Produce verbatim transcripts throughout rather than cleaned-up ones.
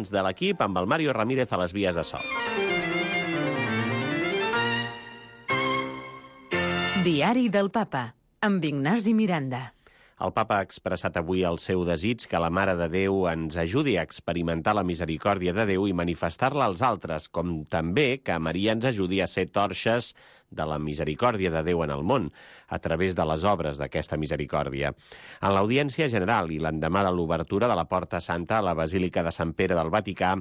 doncs, de l'equip amb el Mario Ramírez a les vies de so. Diari del Papa, amb Ignasi Miranda. El papa ha expressat avui el seu desig que la Mare de Déu ens ajudi a experimentar la misericòrdia de Déu i manifestar-la als altres, com també que Maria ens ajudi a ser torxes de la misericòrdia de Déu en el món, a través de les obres d'aquesta misericòrdia. En l'audiència general i l'endemà de l'obertura de la Porta Santa a la Basílica de Sant Pere del Vaticà,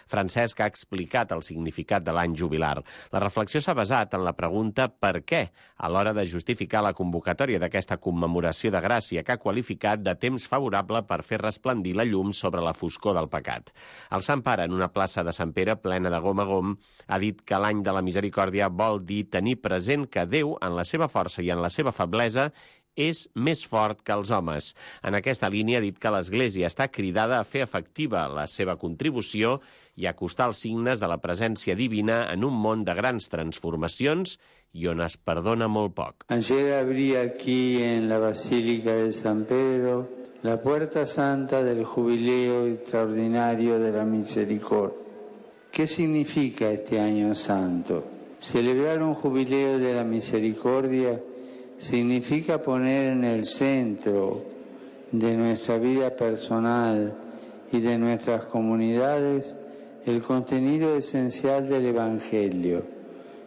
Francesc ha explicat el significat de l'any jubilar. La reflexió s'ha basat en la pregunta per què, a l'hora de justificar la convocatòria d'aquesta commemoració de gràcia que ha qualificat de temps favorable per fer resplendir la llum sobre la foscor del pecat. El Sant Pare, en una plaça de Sant Pere plena de gom a gom, ha dit que l'any de la misericòrdia vol dir tenir present que Déu, en la seva força i en la seva feblesa, és més fort que els homes. En aquesta línia ha dit que l'Església està cridada a fer efectiva la seva contribució i a acostar els signes de la presència divina en un món de grans transformacions i on es perdona molt poc. Ayer abrí aquí en la Basílica de San Pedro la Puerta Santa del Jubileo Extraordinario de la Misericordia. ¿Qué significa este año santo? Celebrar un jubileo de la misericordia significa poner en el centro de nuestra vida personal y de nuestras comunidades el contenido esencial del Evangelio,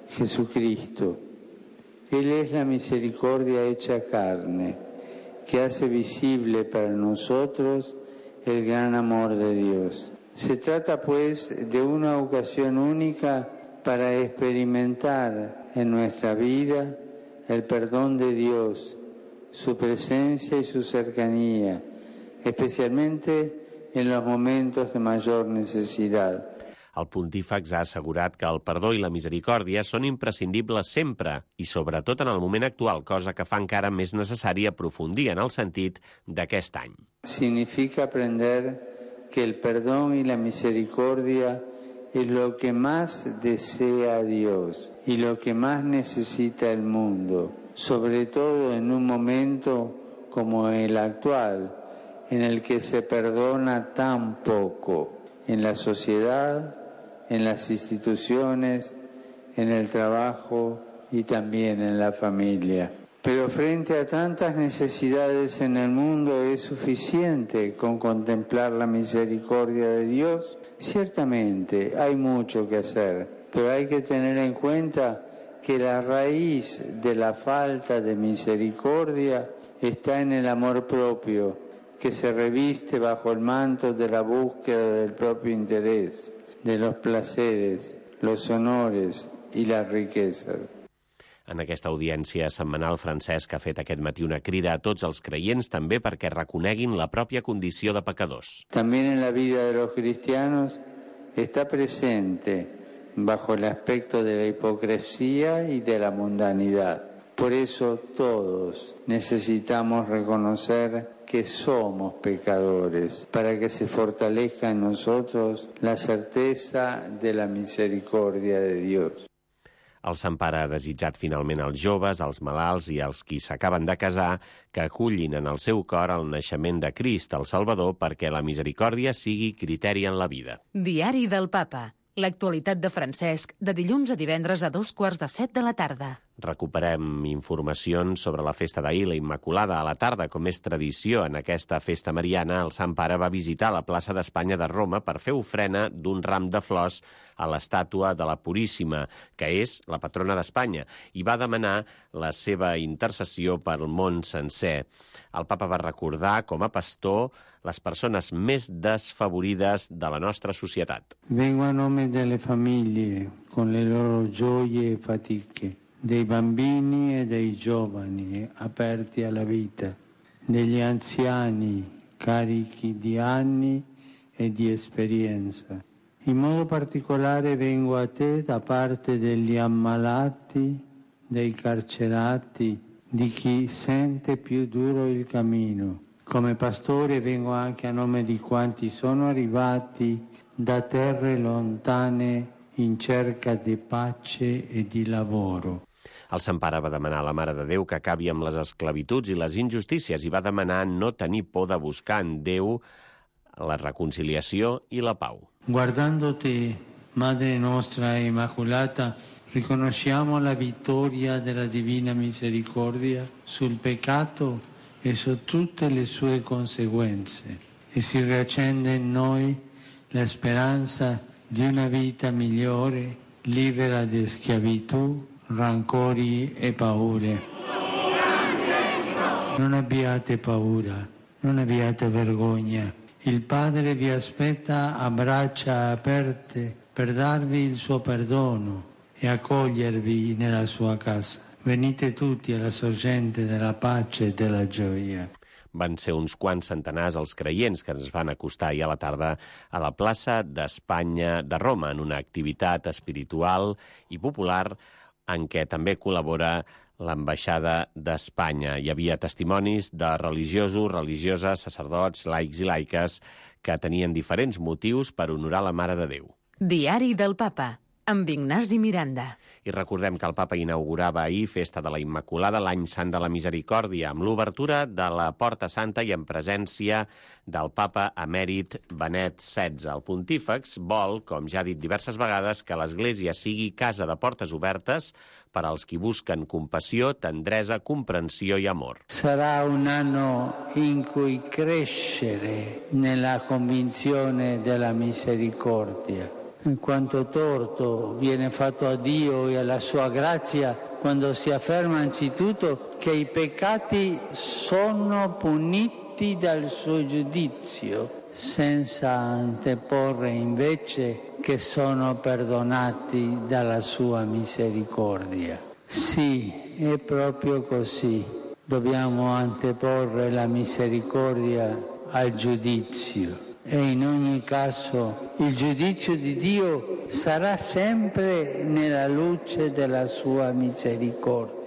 Jesucristo. Él es la misericordia hecha carne, que hace visible para nosotros el gran amor de Dios. Se trata, pues, de una ocasión única para experimentar en nuestra vida el perdón de Dios, su presencia y su cercanía, especialmente en los momentos de mayor necesidad. El pontífex ha assegurat que el perdó i la misericòrdia són imprescindibles sempre i sobretot en el moment actual, cosa que fa encara més necessari aprofundir en el sentit d'aquest any. Significa aprender que el perdón y la misericordia es lo que más desea Dios y lo que más necesita el mundo, sobre todo en un momento como el actual, en el que se perdona tan poco en la sociedad, en las instituciones, en el trabajo y también en la familia. Pero frente a tantas necesidades en el mundo, ¿es suficiente con contemplar la misericordia de Dios? Ciertamente hay mucho que hacer, pero hay que tener en cuenta que la raíz de la falta de misericordia está en el amor propio, que se reviste bajo el manto de la búsqueda del propio interés, de los placeres, los honores y las riquezas. En aquesta audiència setmanal, Francesc ha fet aquest matí una crida a tots els creients també perquè reconeguin la pròpia condició de pecadors. También en la vida de los cristianos está presente bajo el aspecto de la hipocresía y de la mundanidad. Por eso todos necesitamos reconocer que somos pecadores, para que se fortalezca en nosotros la certeza de la misericordia de Dios. El Sant Pare ha desitjat finalment als joves, als malalts i als qui s'acaben de casar que acullin en el seu cor el naixement de Crist, el Salvador, perquè la misericòrdia sigui criteri en la vida. Diari del Papa. L'actualitat de Francesc, de dilluns a divendres a dos quarts de set de la tarda. Recuperem informacions sobre la festa d'ahir, la Immaculada, a la tarda, com és tradició en aquesta festa mariana. El Sant Pare va visitar la plaça d'Espanya de Roma per fer ofrena d'un ram de flors a l'estàtua de la Puríssima, que és la patrona d'Espanya, i va demanar la seva intercessió pel món sencer. El Papa va recordar, com a pastor, les persones més desfavorides de la nostra societat. Vengo a nome delle famiglie, con le loro gioie e fatiche, dei bambini e dei giovani aperti alla vita, degli anziani carichi di anni e di esperienza. In modo particolare vengo a te da parte degli ammalati, dei carcerati, di chi sente più duro il cammino. Come pastore vengo anche a nome di quanti sono arrivati da terre lontane in cerca di pace e di lavoro. El Sant Pare va demanar a la Mare de Déu que acabi amb les esclavituds i les injustícies i va demanar no tenir por de buscar en Déu la reconciliació i la pau. Guardándote, Madre nostra Immacolata, riconosciamo la vittoria della Divina Misericordia sul peccato e su tutte le sue conseguenze e si riaccende in noi la speranza di una vita migliore, libera di schiavitù, rancori e paure. Non abbiate paura, non abbiate vergogna. Il Padre vi aspetta a braccia aperte per darvi il suo perdono e accogliervi nella sua casa. Venite tutti alla sorgente della pace e della gioia. Van ser uns quants centenars els creients que ens van acostar ahir a la tarda a la plaça d'Espanya de Roma, en una activitat espiritual i popular en què també col·labora l'ambaixada d'Espanya. Hi havia testimonis de religiosos, religioses, sacerdots, laics i laiques que tenien diferents motius per honorar la Mare de Déu. Diari del Papa, amb Ignasi Miranda. I recordem que el Papa inaugurava ahir Festa de la Immaculada, l'any Sant de la Misericòrdia, amb l'obertura de la Porta Santa i en presència del Papa emèrit Benet setze. El pontífex vol, com ja ha dit diverses vegades, que l'Església sigui casa de portes obertes per als qui busquen compassió, tendresa, comprensió i amor. Sarà un anno in cui crescere nella convinzione della misericordia. In quanto torto viene fatto a Dio e alla sua grazia quando si afferma anzitutto che i peccati sono puniti dal suo giudizio, senza anteporre invece che sono perdonati dalla sua misericordia. Sì, è proprio così. Dobbiamo anteporre la misericordia al giudizio. E in ogni caso il giudizio di Dio sarà sempre nella luce della sua misericordia.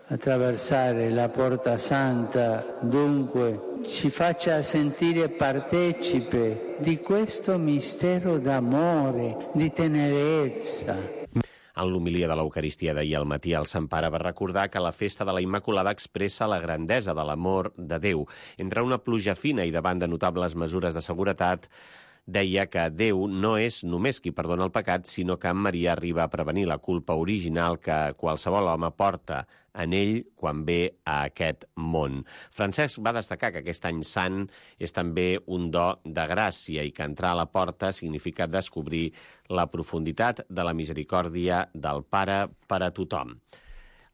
Attraversare la Porta Santa, dunque, ci faccia sentire partecipe di questo mistero d'amore, di tenerezza. En l'homilia de l'Eucaristia d'ahir al matí, el Sant Pare va recordar que la festa de la Immaculada expressa la grandesa de l'amor de Déu. Entre una pluja fina i davant de notables mesures de seguretat, deia que Déu no és només qui perdona el pecat, sinó que en Maria arriba a prevenir la culpa original que qualsevol home porta en ell quan ve a aquest món. Francesc va destacar que aquest any sant és també un do de gràcia i que entrar a la porta significa descobrir la profunditat de la misericòrdia del Pare per a tothom.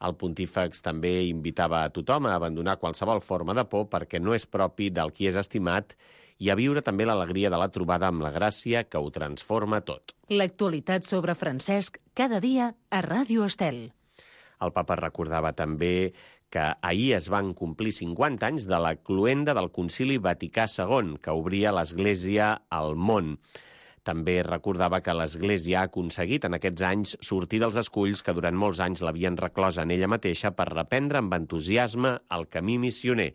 El pontífex també invitava a tothom a abandonar qualsevol forma de por perquè no és propi del qui és estimat i a viure també l'alegria de la trobada amb la gràcia que ho transforma tot. L'actualitat sobre Francesc cada dia a Ràdio Estel. El papa recordava també que ahir es van complir cinquanta anys de la cloenda del Concili Vaticà segon, que obria l'Església al món. També recordava que l'Església ha aconseguit en aquests anys sortir dels esculls que durant molts anys l'havien reclosa en ella mateixa per reprendre amb entusiasme el camí missioner.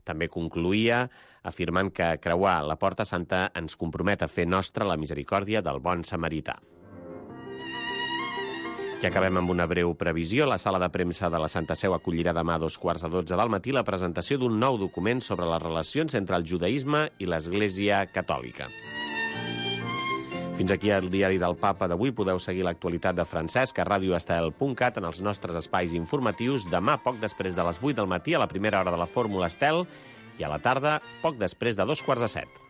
També concluïa afirmant que creuar la Porta Santa ens compromet a fer nostra la misericòrdia del bon samarità. I acabem amb una breu previsió. La sala de premsa de la Santa Seu acollirà demà a dos quarts de dotze del matí la presentació d'un nou document sobre les relacions entre el judaïsme i l'Església Catòlica. Fins aquí el diari del Papa d'avui. Podeu seguir l'actualitat de Francesc a radio estel punt cat en els nostres espais informatius. Demà, poc després de les vuit del matí, a la primera hora de la Fórmula Estel, i a la tarda, poc després de dos quarts de set.